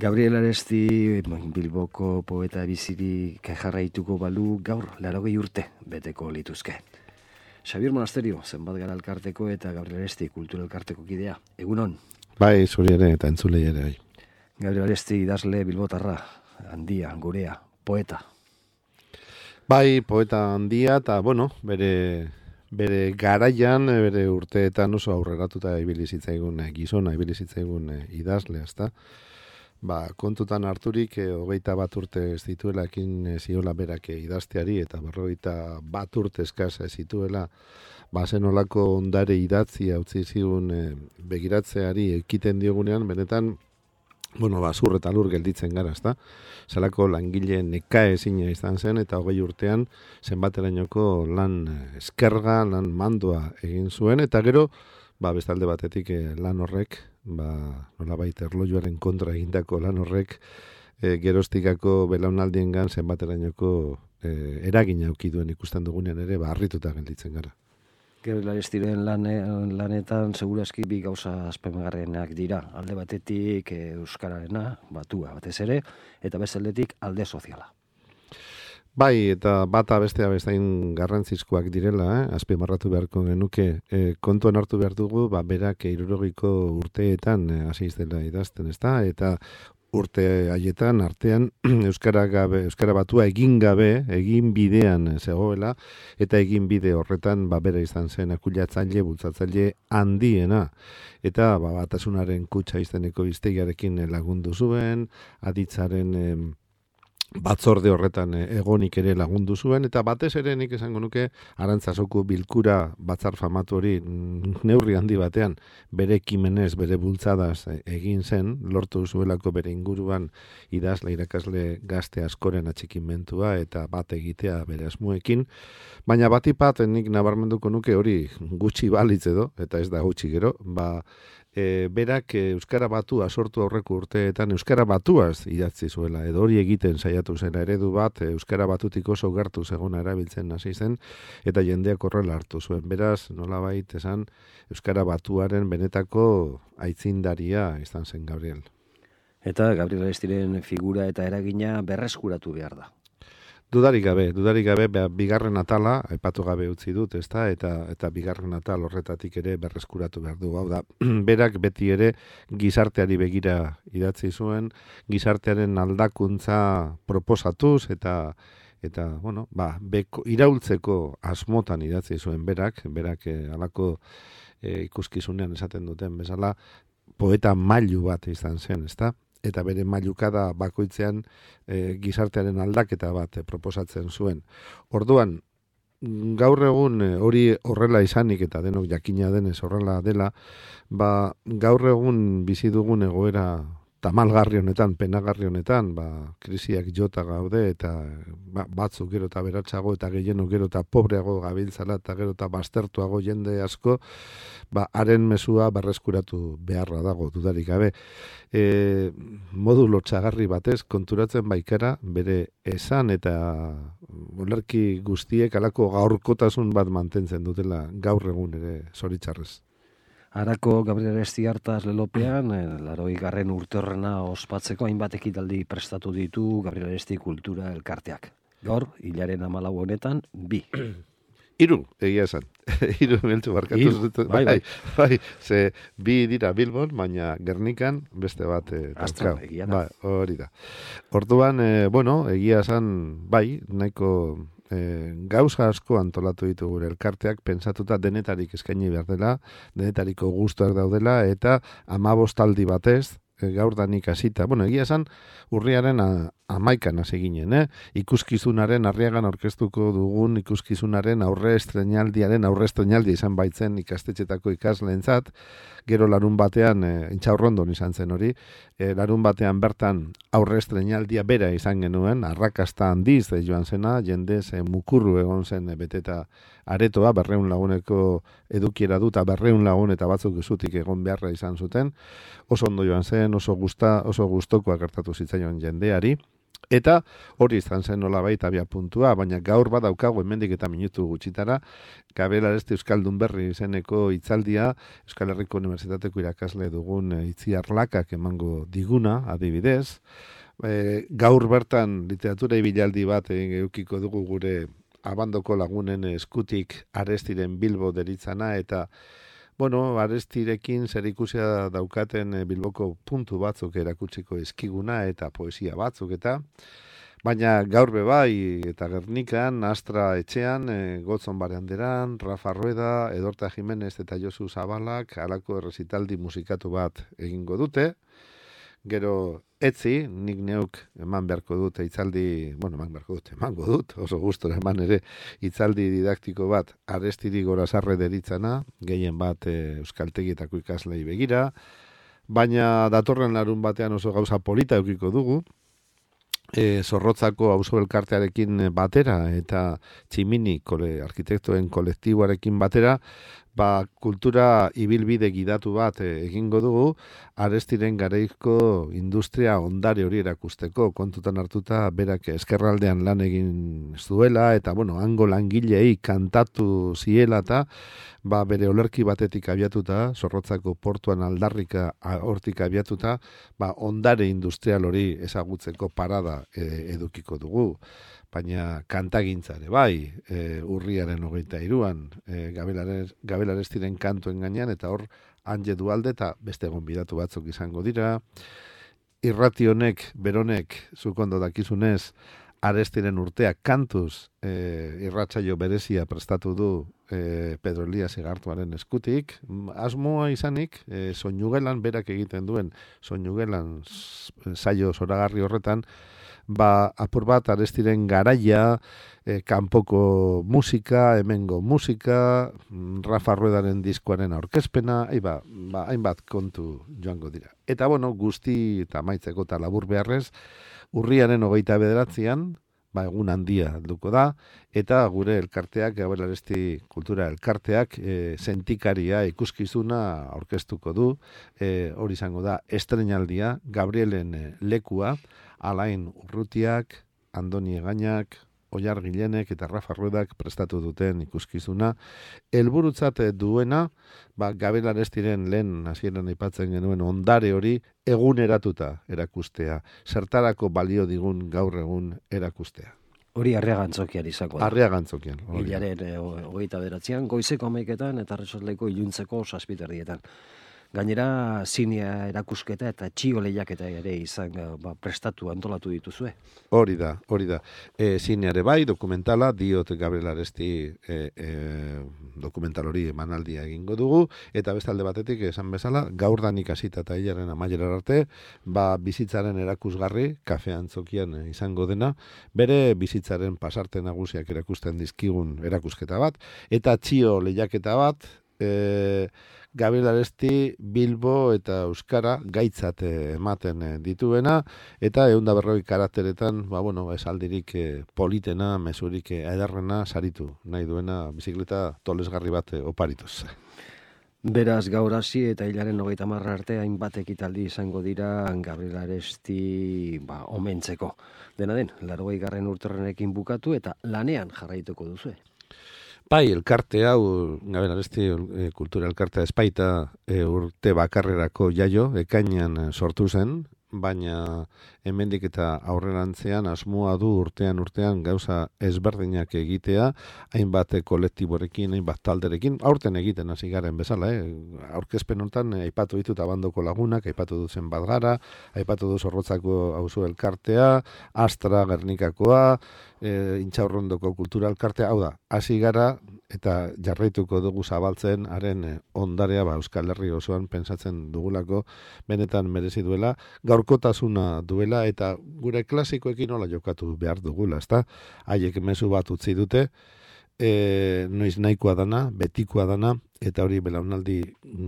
Gabriel Aresti, Bilboko poeta bizirik jarraituko balu gaur 80 urte beteko lituzke. Xabier Monasterio, zenbat gara elkarteko eta Gabriel Aresti kultura elkarteko kidea. Egunon? Bai, zuri ere eta entzulei ere. Bai. Gabriel Aresti idazle bilbotarra, handia, gurea, poeta. Bai, poeta handia eta, bere garaian, bere urteetan oso aurreratuta ibili zitzaigun gizona, ibili zitzaigun idazle, ezta? Kontutan harturik 21 urte ez dituela ekin ziola berak idazteari eta 41 urte eskaz zituela zenolako ondare idatzia utzi zigun begiratzeari ekiten diogunean, benetan zur eta lur gelditzen gara, ezta? Zelako langile nekaezina izan zen eta 20 urtean zenbaterainoko lan eskerga, lan mandoa egin zuen eta gero bestalde batetik lan horrek, nolabait erlojuaren kontra egindako lan horrek, geroztikako belaunaldiengan zenbaterainoko eragina auki duen ikusten dugunean ere, harrituta gelditzen gara. Gabriel Arestiren lanetan segurazki bi gauza azpimarragarrienak dira. Alde batetik euskararena, batua batez ere, eta bestaldetik alde soziala. Bai, eta bata bestea bestain garrantzizkoak direla, azpimarratu beharko genuke. Kontuan hartu behar dugu, berak 60 urteetan hasi dela idazten, ezta? Eta urte haietan artean euskara batua egin gabe, egin bidean zegoela, eta egin bide horretan bera izan zen akuilatzaile, bultzatzaile handiena. Eta batasunaren kutxa izeneko hiztegiarekin lagundu zuen, aditzaren batzorde horretan egonik ere lagundu zuen, eta batez ere nik esango nuke Arantzazoko bilkura batzar famatu hori neurri handi batean bere ekimenez, bere bultzadaz egin zen, lortu zuelako bere inguruan idazle, irakasle gazte askoren atxikimentua eta bat egitea bere asmoekin, baina batipat nik nabarmenduko nuke hori gutxi balitz edo, eta ez da gutxi gero, berak euskara batua sortu aurreko urteetan euskara batuaz idatzi zuela, edo hori egiten saiatu zen eredu bat, euskara batutik oso gertu zegona erabiltzen hasi zen, eta jendeak horrela hartu zuen. Beraz, nolabait esan, euskara batuaren benetako aitzindaria izan zen Gabriel. Eta Gabriel Arestiren figura eta eragina berreskuratu behar da. Dudarik gabe, bigarren atala, aipatu gabe utzi dut, ezta? Eta bigarren atal horretatik ere berreskuratu behar du. Hau da, berak beti ere gizarteari begira idatzi zuen, gizartearen aldakuntza proposatuz eta iraultzeko asmotan idatzi zuen berak halako ikuskizunean esaten duten bezala, poeta mailu bat izan zen, ezta? Eta bere mailukada bakoitzean gizartearen aldaketa bat proposatzen zuen. Orduan, gaur egun hori horrela izanik eta denok jakina denez horrela dela, gaur egun bizi dugun egoera tamalgarri honetan, penagarri honetan, krisiak jota gaude eta batzuk gero eta beratxago eta gehieno gero eta pobreago gabiltzala eta gero eta baztertuago jende asko, haren mezua berreskuratu beharra dago, dudarik gabe. Modu lotxagarri batez konturatzen baikara bere esan eta olerki guztiek halako gaurkotasun bat mantentzen dutela gaur egun ere zoritxarrez. Arako Gabriel Aresti hartaz lelopean, 80. urte horrena ospatzeko hainbat ekitaldi prestatu ditu Gabriel Aresti kultura elkarteak. Gaur, hilaren 14 honetan, 2. 3, egia esan. 3 beltzu barkatu dut. Bai, ze 2 dira Bilbon, baina Gernikan beste bat Astran, egia da. Hori da. Orduan, egia esan, nahiko gauza asko antolatu ditu gure elkarteak, pensatuta denetarik eskaini behar dela, denetariko gustuak daudela, eta 15 aldi batez, gaur danik hasita. Egia esan, urriaren 11an hasi ginen, ikuskizunaren Arriagan aurkeztuko dugun ikuskizunaren aurre estreinaldia izan baitzen ikastetxetako ikasleentzat, gero larun batean, Intxaurrondon izan zen hori, larun batean bertan aurre estreinaldia bera izan genuen, arrakasta handiz joan zena, jendez mukurru egon zen beteta aretoa, 200 laguneko edukiera dut, 200 lagun eta batzuk zutik egon beharra izan zuten, oso ondo joan zen, oso gustoko gertatu zitzaion jendeari, Eta hori izan zen nolabait abia puntua, baina gaur badaukagu hemendik eta minutu gutxitara, Gabriel Aresti Euskaldun Berri izeneko hitzaldia, Euskal Herriko Unibertsitateko irakasle dugun Itziar Lakak emango diguna, adibidez. Gaur bertan literatura ibilaldi bat edukiko dugu gure abandoko lagunen eskutik Arestiren Bilbo deritzana, eta Arestirekin zerikusia daukaten Bilboko puntu batzuk erakutsiko eskiguna eta poesia batzuk baina gaur bai eta Gernikan, Astra etxean, Gotzon Baranderan, Rafa Rueda, Edorta Jimenez eta Josu Zabalak halako errezitaldi musikatu bat egingo dute. Gero etzi, nik neuk eman beharko dut hitzaldi, emango dut, oso gustora eman ere hitzaldi didaktiko bat Arestiri Gorazarre deritzana, gehien bat euskaltegietako ikaslei begira, baina datorren larun batean oso gauza polita eukiko dugu, Zorrotzako auzo elkartearekin batera eta Tximini arkitektoen kolektiboarekin batera, kultura ibilbide gidatu bat egingo dugu, Arestiren garaiko industria ondare hori erakusteko, kontutan hartuta berak eskerraldean lan egin zuela, eta hango langilei kantatu ziela eta bere olerki batetik abiatuta, Zorrotzako portuan aldarrika hortik abiatuta, ondare industrial hori ezagutzeko parada edukiko dugu. Baina kantagintzare bai, urriaren 23an, Gabel Arestiren kantuen gainean, eta hor Anje Dualde eta beste gonbidatu batzuk izango dira. Irrati honek, beronek, zuk ondo dakizunez, Arestiren urtea kantuz irratsaio berezia prestatu du Pedro Elias Egartuaren eskutik. Asmoa izanik, soinugelan, berak egiten duen soinugelan saio zoragarri horretan, apur bat Arestiren garaia, kanpoko musika, hemengo musika, Rafa Ruedaren diskoaren aurkezpena, hainbat kontu joango dira. Eta guzti eta maitzeko eta labur beharrez, urriaren 29an, egun handia duko da, eta gure elkarteak, Gabriel Aresti Kultura Elkarteak, sentikaria ikuskizuna aurkeztuko du, hori izango da, estreinaldia, Gabrielen lekua, Alain Urrutiak, Andoni Egainak, Oiar Gilenek eta Rafa Ruedak prestatu duten ikuskizuna. Helburutzat duena, Gabriel Arestiren lehen hasieran aipatzen genuen ondare hori eguneratuta erakustea. Zertarako balio digun gaur egun erakustea. Hori Arriaga Antzokian izango da. Arriaga Antzokian. Hilaren 29an, goizeko 11etan eta arratsaldeko iluntzeko 7:00. Gainera, zinea erakusketa eta txio lehiaketa ere izan prestatu antolatu dituzue. Hori da. Zineare bai, dokumentala, diot Gabriel Aresti dokumental hori emanaldia egingo dugu, eta beste alde batetik esan bezala, gaur danik hasita eta hilaren amaierar arte, bizitzaren erakusgarri, Kafe Antzokian izango dena, bere bizitzaren pasarte nagusiak erakusten dizkigun erakusketa bat, eta txio lehiaketa bat, Gabriel Aresti Bilbo eta Euskara gaitzat ematen dituena, eta 140 karakteretan, esaldirik politena, mezurik ederrena saritu nahi duena bizikleta tolesgarri bat oparituz. Beraz, gaur hasi eta hilaren 30 arte hainbat ekitaldi izango dira Gabriel Aresti omentzeko. Dena den, 80. urterenekin bukatu eta lanean jarraituko duzue. Bai, elkarte hau, Gabriel Aresti Kultura Elkartea espaita urte bakarrerako jaio, ekainean sortu zen, baina hemendik eta aurrerantzean asmoa du urtean gauza ezberdinak egitea, hainbat kolektiborekin, hainbat talderekin, aurten egiten hasi garen bezala, aurkezpen honetan aipatu ditut abandoko lagunak, aipatu dut Zenbat Gara, aipatu dut Zorrotzako auzo elkartea, Astra Gernikakoa, Intxaurrondoko Kultura Elkartea, hau da, hasi gara eta jarraituko dugu zabaltzen haren ondarea Euskal Herri osoan pentsatzen dugulako benetan merezi duela, gaurkotasuna duela eta gure klasikoekin nola jokatu behar dugula, ezta? Haiek mezu bat utzi dute, noiz nahikoa dana, betikoa dana, eta hori belaunaldi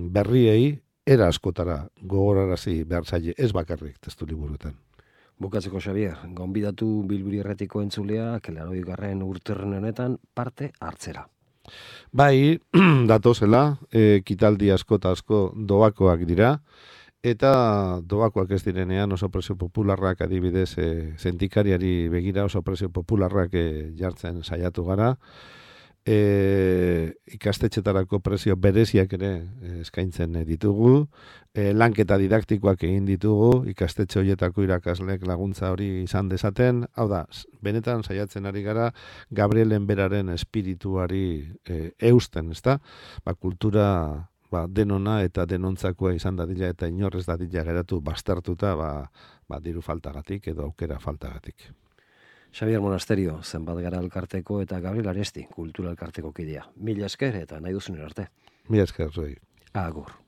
berriei era askotara gogorarazi behar zaie, ez bakarrik testu liburuetan. Bukatzeko, Xabier, gonbidatu Bilbiri Erretiko entzuleak 80. urterren honetan parte hartzera. Bai, datozela, ekitaldi asko doakoak dira, eta doakoak ez direnean oso prezio popularrak adibidez zentikariari begira oso prezio popularrak jartzen saiatu gara. Ikastetxetarako prezio bereziak ere eskaintzen ditugu, lanketa didaktikoak egin ditugu, ikastetxe horietako irakasleek laguntza hori izan dezaten, hau da, benetan saiatzen ari gara Gabrielen beraren espirituari eusten, ezta? Kultura denona eta denontzako izan dadila eta inorrez dadila geratu bastartuta diru faltagatik edo aukera faltagatik. Xabier Monasterio, zenbat gara elkarteko eta Gabriel Aresti, kultura elkarteko kidea. Mila esker eta nahi duzunen arte. Mila esker, zoi. Agur.